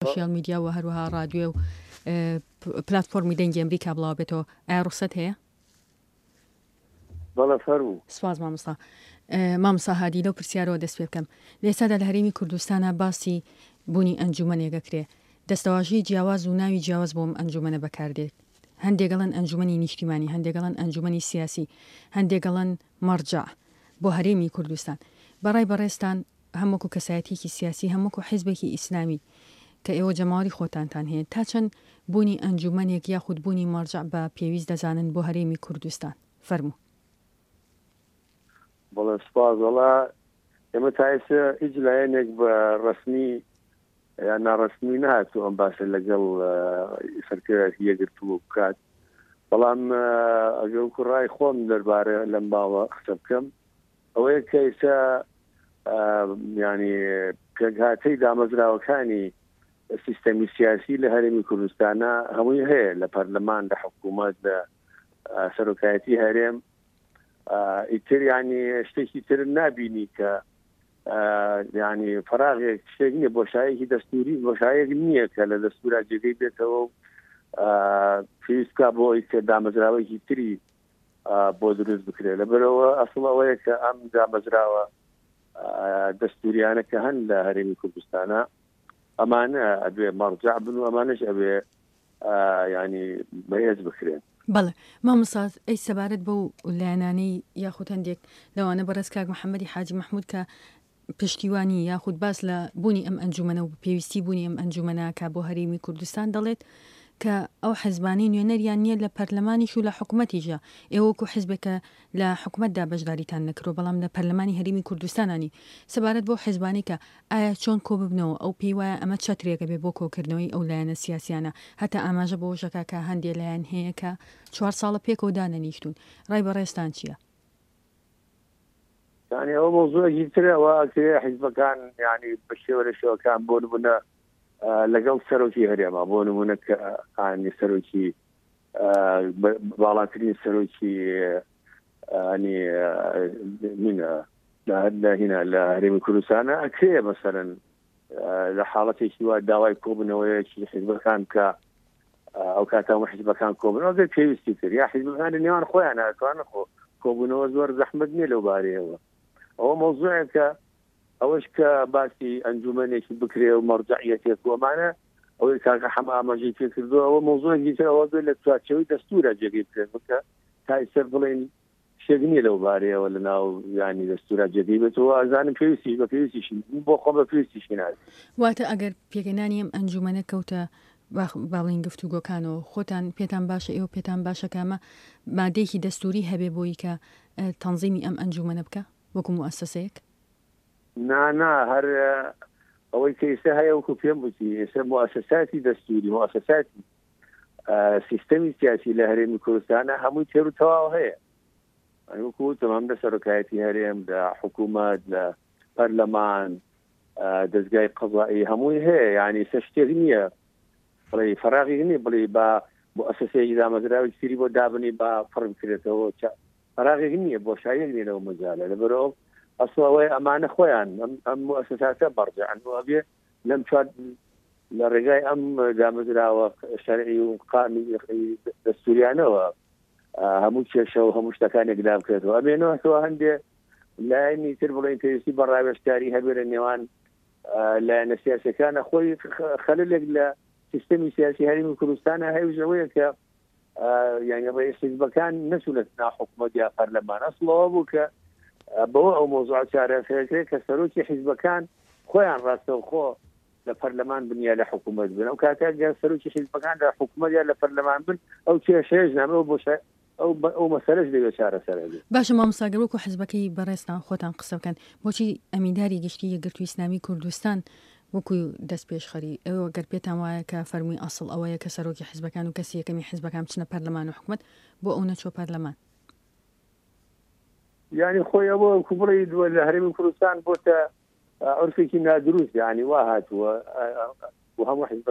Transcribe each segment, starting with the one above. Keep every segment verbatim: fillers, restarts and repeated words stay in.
سۆشیال میدیا و هەروەها ڕادیۆ و پلاتفۆرمی دەنگی ئەمریکا بڵاو بێتەوە، ئایا ڕوخسەت هەیە؟ بەڵێ فەرموو. سپاس مامۆستا. مامۆستا هادی لەو پرسیارەوە دەست پێ بکەم. لە ئێستادا لە هەرێمی کوردستانا باسی بوونی ئەنجومەنێک ئەکرێ. دەستەواژەی جیاواز و ناوی جیاواز بۆ ئەم ئەنجومەنە بەکار دێت. هەندێک ئەڵێن ئەنجومەنی نیشتیمانی، هەندێک ئەڵێن ئەنجومەنی سیاسی، هەندێک ئەڵێن مەرجەع بۆ هەرێمی کوردستان. بە ڕای بەڕێزتان هەم وەکو کەسایەتیەکی سیاسی هەم وەکو حیزبێکی ئیسلامی کە ئێوە جەماوەری خۆتانتان هەیە تا چەند بوونی ئەنجومەنێک یاخود بوونی مەرجەع بە پێویست دەزانن بۆ هەرێمی کوردستان؟ فەرموو. بەڵێ سوپاس. وەڵا ئێمە تا ئێستا هیچ لایەنێک بە ڕەسمی یان ناڕەسمی نەهاتوو ئەم باسە لەگەڵ سەرکردایەتی یەکگرتوو بکات، بەڵام ئەگەر وەکو ڕای خۆم دەربارە لەم باوە قسە بکەم ئەوەیە کە ئێستا ینی پێکهاتەی دامەزراوەکانی سیستەمی سیاسی لە هەرێمی کوردستانە هەمووی هەیە، لە پەرلەمان، لە حکوومەت، لە سەرۆکایەتی هەرێم. ئیتر ینی شتێکی تر نابینی کە ینی فراغێک شتێک نییە، بۆشایەکی دەستوری بۆشایەک نییە کە لە دەستورا جێگەی بێتەوە و پێویست بکا بۆ ئەوەی کە دامەزراوەیەکی تری بۆ دروست بکرێت. لەبەرەوە ئەسڵ ئەوەیە کە ئەم دامەزراوە دەستوریانە کە هەن لە هەرێمی کوردستانە ئەمانە ئەبێ مەرجع بن و ئەمانەش ئەبێ ینی بەهێز بکرێن. بەڵێ مامۆستا، ئەی سەبارەت بەو لایەنانەی یاخود هەندێک لەوانە بەڕێز کاک محەممەدی حاجی مەحموود کە پشتیوانی یاخود باس لە بوونی ئەم ئەنجومەنە و پێویستی بوونی ئەم ئەنجومەنە کە بۆ هەرێمی کوردستان دەڵێت کە ئەو حزبانەی نوێنەریان نییە لە پەرلەمانیش و لە حکوومەتیشە، ئێوە وەکو حزبێکە لە حکوومەتدا بەشداریتان نەکرۆ بەڵام لە پەرلەمانی هەرێمی کوردستانانی، سەبارەت بەو حزبانەی کە ئایا چۆن کۆ ببنەوە، ئەو پێی وایە ئەمە چەترێکە بێ بۆ کۆکردنەوەی ئەو لایەنە سیاسیانە، هەتا ئاماژە بەوەش ئەکا کە هەندێ لایەن هەیە کە چوار ساڵە پێکەوە دانەنیشتوون. ڕای بەڕێزتان چییە؟ یعنی ئەوە مەوزوعێکی ترە، ئەوە ئەکرێ حیزبەکان یعنی بە شێوە لە شێوەکان بۆ نمونە لەگەڵ سەرۆکی هەرێما، بۆ نمونە کە ینی سەرۆکی باڵاترین سەرۆکی ینی مینە لە هینا لە هەرێمی کوردستانە ئەکرێ مەسەرەن لە حاڵەتێکی وا داوای کۆبوونەوەیەکی حیزبەکان کە ئەو کاتە هەموو حیزبەکان کۆبوونەوە ئەگەر پێویستی کرد، یا حیزبەکان لە نێوان خۆیان ئەتوانن خۆ کۆبوونەوە زۆر زەحمەت نییە لەو بارەیەوە. ئەوە مەوزوعێکە، ئەوەش کە باسی ئەنجومەنێکی بکرێ و مەرجەعیەتێک و ئەمانە، ئەوەی کاکە حەمە ئاماژەی پێ کردووە، ئەوە مەوزوعێکی تر، ئەوە بێت لە چوارچێوەی دەستورە جێگەی بکرێت، بکە تا ئێستا بڵێن شتێک نییە لەو بارەیەوە لە ناو ینی دەستورا جێگەی بێتەوە. ئەزانم پێویستیش بە پێویستیشی بۆ خۆم بە پێویستیشی نازانم. واتە ئەگەر پێکهێنانی ئەم ئەنجومەنە کەوتە با بڵێین گفتوگۆکانەوە، خۆتان پێتان باشە، ئێوە پێتان باشە کە ئەمە مادەیەکی دەستوری هەبێ بۆی کە تەنزیمی ئەم ئەنجومەنە بکە وەکو موئەسەسەیەک؟ نا نا، هەر ئەوەی کە ئێستا هەیە وەکو پێم وتی، ئێستا موئەسەساتی دەستوری، موئەسەساتی سیستەمی سیاسی لە هەرێمی کوردستانە هەمووی تێر و تەواو هەیە. وەکو وتم هەم لە سەرۆکایەتی هەرێم، لە حکوومەت، لە پەرلەمان، دەستگای قەزایی هەمووی هەیە. یعنی ئێستا شتێک نییە بڵێ فراغی نییە بڵێ با موئەسەسەیەکی دامەزراوی تری بۆ دابنی با پڕ بکرێتەوە، فراغێک نییە، بۆشاییەک نییە لەو مەجالە. لەبەرئەوە ئەسڵ ئەوەیە ئەمانە خۆیان ئەم موئەسەساتە بەڕجعن و ئەبێ لەم چوار لە ڕێگای ئەم دامەزراوە شەرعی و قانونی دەستوریانەوە هەموو کێشە و هەموو شتەکانێک لا بکرێتەوە. ئەمێنەوە هەندێ لایەنی تر بڵێن پێویستی بە ڕاوێژکاری هەبێ لە نێوان لایەنە سیاسەکانە. خۆی خەلەلێک لە سیستەمی سیاسی هەرێمی کوردستانە هەیە ئەوەیە کە یعنی ڕئیس حیزبەکان نەچوونەتە ناو حکوومەت یا پەرلەمان. ئەسڵەوە بوو کە بەوە ئەو مۆزوع چارەسەرەکرێت کە سەرۆکی حیزبەکان خۆیان ڕاستەوخۆ لە پەرلەمان بن یا لە حکوومەت بن. ئەو کاتە گەر سەرۆکی حیزبەکان لە حکوومەت یا لە پەرلەمان بن ئەو کێشەیەش نامێ، ئەو بۆشە ئەو ئەو مەسەلەش لەوێ چارەسەر ئەبێ. باشە مامۆستا، گەر وەکو حزبەکەی بەڕێزتان خۆتان قسە بکەن، بۆچی ئەمینداری گشتی یەکگرتووی ئیسلامی کوردستان وەکو دەست پێشخەری ئێوە گەر پێتان وایە کە فەرمووی ئەسڵ ئەوەیە کە سەرۆکی حزبەکان و کەسی یەکەمی حزبەکان بچنە پەرلەمان و حکومەت، بۆ ئەو نەچووە پەرلەمان؟ یعنی خۆی ئەوە وەکو بڵێ لە هەرێمی کوردستان بۆتە عورفێکی نادروست، یعنی وا هاتووە و هەموو حزب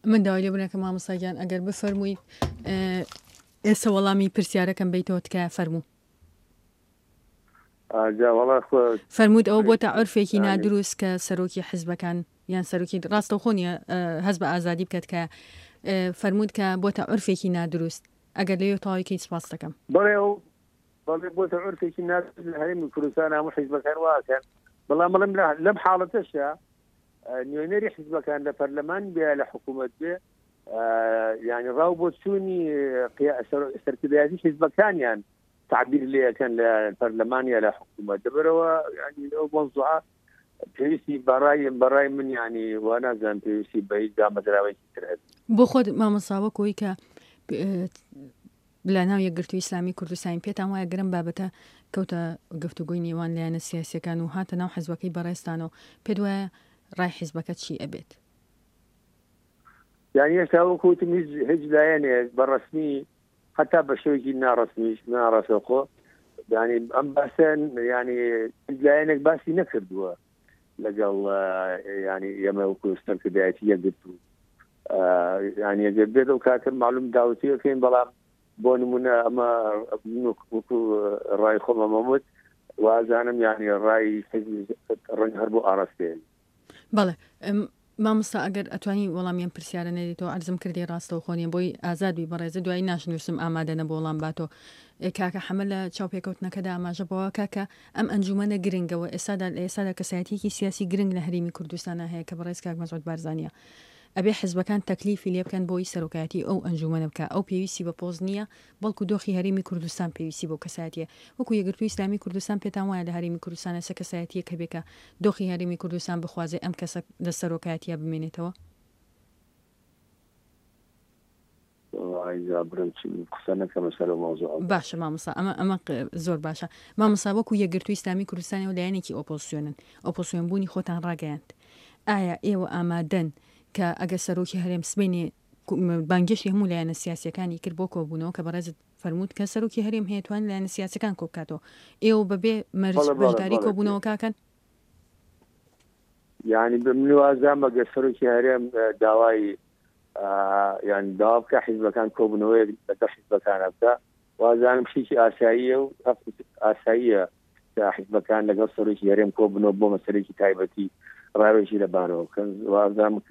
من داوای لێبوردنەکەم مامۆستا گیان ئەگەر بفەرموویت ئێستا وەڵامی پرسیارەکەم بیتەوە تکایە فەرموو. فەرمووت ئەوە بۆتە عورفێکی نادروست کە سەرۆکی حزبەکان یان سەرۆکی ڕاستەوخۆ نییە هەست بە ئازادی بکات کە فەرمووت کە بۆتە عورفێکی نادروست ئەگەر لەوێ تەواوی کەیت سپاس دەکەم. بەڵێ ئەو بەڵێ بۆتە عورفێکی نادروست لە هەرێمی کوردستان هەموو حیزبەکان واکەن، بەڵام بڵێم لەم حاڵەتەشە نوێنەری حیزبەکان لە پەرلەمان بێ لە حکوومەت بێ یعنی ڕاو بۆ چوونی سەرکردایەتی حیزبەکانیان تعبیر لێەکەن لە پەرلەمان یا لە حکوومەت دەبەرەوە یعنی ئەو مەوزوعە پێویستی بەڕای بەڕای من یعنی وا نازانم پێویستی بە هیچ دامەزراوەیەکی تر هەبێت. بۆ خۆت مامۆستا وەکۆی کە لە ناو یەکگرتووی ئیسلامی کوردستانی پێتان وایە گرم بابەتە کەوتە گفتوگۆی نێوان لایەنە سیاسیەکان و هاتە ناو حزبەکەی بەڕێزتانەوە، پێت وایە ڕای حزبەکە چی ئەبێت؟ یعنی هێشتا وەکو وتم هیچ هیچ لایەنێک بە ڕەسمی حتا بە شێوەیەکی ناڕەسمیش ناڕاستەوخۆ یعنی ئەم باسە یعنی هیچ لایەنێک باسی نەکردووە لەگەڵ یعنی ئێمە وەکو سەرکردایەتی یەکگرتوو یعنی ئەگەر بێت ئەو کاتە معلوم داوتیەکەین، بەڵام بۆ نمونە ئەمە وەکو ڕای خۆم ئەمەم وت وازانم یعنی ڕای ڕەنگ هەر بۆ ئاراستەیە. بەڵێ مامۆستا ئەگەر ئەتوانی وەڵامیان پرسیارە نەدەیتەوە عەرزم کردی ڕاستەوخۆ نییە بۆی ئازاد بی بەڕێزە دوایی ناشنووسم ئامادە نەبوو وەڵام باتەوە. کاکە حەمە لە چاوپێکەوتنەکەدا ئاماژە بەوە کاکە ئەم ئەنجومەنە گرنگەوە ئێستادا لە ئێستادا کەسایەتیەکی سیاسی گرنگ لە هەرێمی کوردستانە هەیە کە بەڕێز کاک مەسعود بارزانیە، ئەبێ حزبەکان تەکلیفی لێ بکەن بۆی سەرۆکایەتی ئەو ئەنجومەنە بکە. ئەو پێویستی بە پۆست نییە، بەڵکو دۆخی هەرێمی کوردستان پێویستی بۆ کەسایەتیە. وەکو یەکگرتووی ئیسلامی کوردستان پێتان وایە لە هەرێمی کوردستان ئێستا کەسایەتیە کە بێکە دۆخی هەرێمی کوردستان بخوازێ ئەم کەسە لە سەرۆکایەتیە بمێنێتەوە؟ باشە مامۆستا ئەمە ئەمە زۆر باشە. مامۆستا وەکو یەکگرتووی ئیسلامی کوردستانەوە لایەنێکی ئۆپۆزیسیۆنن، ئۆپۆزیسیۆن بوونی خۆتان ڕاگەیاند، ئایا ئێوە ئامادەن کە ئەگەر سەرۆکی هەرێم سبەینێ بانگێشتی هەموو لایەنە سیاسیەکانی کرد بۆ کۆبوونەوە کە بەڕێزت فەرمووت کە سەرۆکی هەرێم هەیە توان لایەنە سیاسیەکان کۆ بکاتەوە، ئێوە بەبێ مەرج بەشداری کۆبوونەوەکەکەن؟ یعنی من وازام ئەگەر سەرۆکی هەرێم داوای یعنی داوا بکە حیزبەکان کۆبوونەوەیەک لەگەڵ حیزبەکانە بکە، وازانم شتێکی ئاساییە و ئاساییە کە حیزبەکان لەگەڵ سەرۆکی هەرێم کۆبوونەوە بۆ مەسەلەیەکی تایبەتی ڕاوێژی لەبارەوە بکەن، وازانم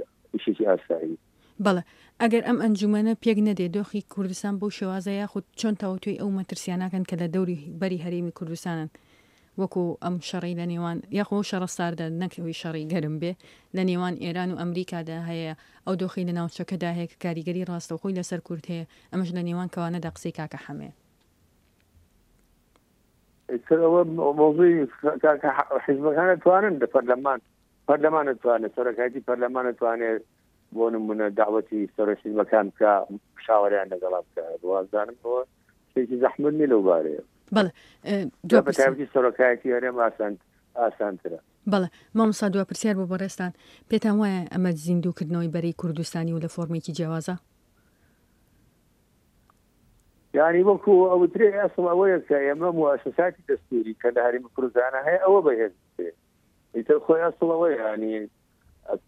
شتێکی ئاسایی. بەڵێ ئەگەر ئەم ئەنجومەنە پێک نەدێ دۆخی کوردستان بەو شێوازە یاخود چۆن تاوتوێی ئەو مەترسیاناکەن کە لە دەوری بەری هەرێمی کوردستانن، وەکو ئەم شەڕی لە نێوان یاخۆ شەڕە ساردە نەکەوی شەڕی گەرم بێ لە نێوان ئێران و ئەمریکادا هەیە، ئەو دۆخی لە ناوچەکەدا هەیە کە کاریگەری ڕاستەوخۆی لەسەر کورد هەیە، ئەمەش لە نێوان کەوانەدا قسەی کاکە حەمەیە. ئەوە مەوزوعی حیزبەکان توانن لە پەرلەمان، پەرلەمان توانێت، سەرۆکایەتی پەرلەمان توانێت بۆ نمونە داوەتی سەرۆک حیزبەکان بکە، مشاوەریان لەگەڵا بکە، وازانم ئەوە شتێکی زەحمەت نییە لەو بارەیە. بەڵێ بە تایبەتی سەرۆکایەتی هەرێم ئاسانترە. بەڵێ مامۆستا دوا پرسیار بۆ بەڕێزتان، پێتان وایە ئەمە زیندووکردنەوەی بەرەی کوردستانی و لە فۆرمێکی جیاوازە؟ یعنی وەکو ئەوترێ ئەسڵ ئەوەیە کە ئێمە موئەسەساتی دەستوری کە لە هەرێمی کوردستانە هەیە ئەوە بەهێز بکرێت. ئیتر خۆی ئەسڵ ئەوەیە، یعنی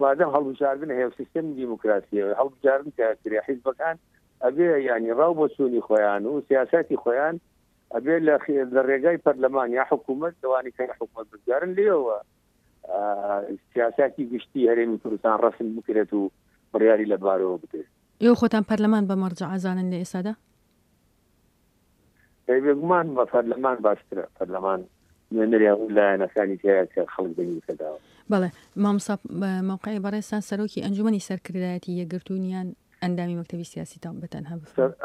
مادەم هەڵبژاردن هەیە و سیستەمی دیموکراسیە هەڵبژاردن کە کرێ حیزبەکان ئەبێ یعنی ڕاو بۆچوونی خۆیان و سیاسەتی خۆیان ئەبێ لە ڕێگای پەرلەمان یا حکوومەت لەوانی کە حکوومەت بگارن لێەوە سیاسەتی گشتی هەرێمی کوردستان ڕەسم بکرێت و بڕیاری لەبارەوە بدرێت. ئێوە خۆتان پەرلەمان بە مەرجع ئەزانن لە ئێستادا؟ بێگومان بە پەرلەمان باشترە، پەرلەمان نوێنەری هەموو لایەنەکانی تیایە کە خەڵک دەنگی پێداوە. بەڵێ مامۆستا مەوقعی بەڕێزتان سەرۆکی ئەنجومەنی سەرکردایەتی یەکگرتوونیان ئەندامی مەکتەبی سیاسی تا بەتەنها بفەرموو.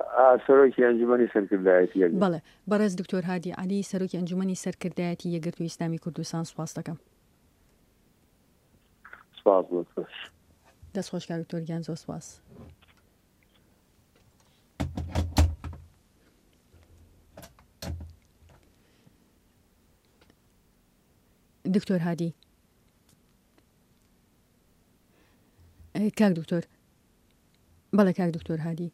سەرۆکی ئەنجومەنی سەرکردایەتی یەکگرتوو. بەڵێ بەڕێز دکتۆر هادی عەلی سەرۆکی ئەنجومەنی سەرکردایەتی یەکگرتووی ئیسلامی کوردستان سوپاس دەکەم. سپاس بۆ تۆش. دەست خۆش کاک دکتۆر گیان، زۆر سپاس. دکتۆر هادی، کاک دکتۆر، بەڵێ کاک دکتۆر هادی.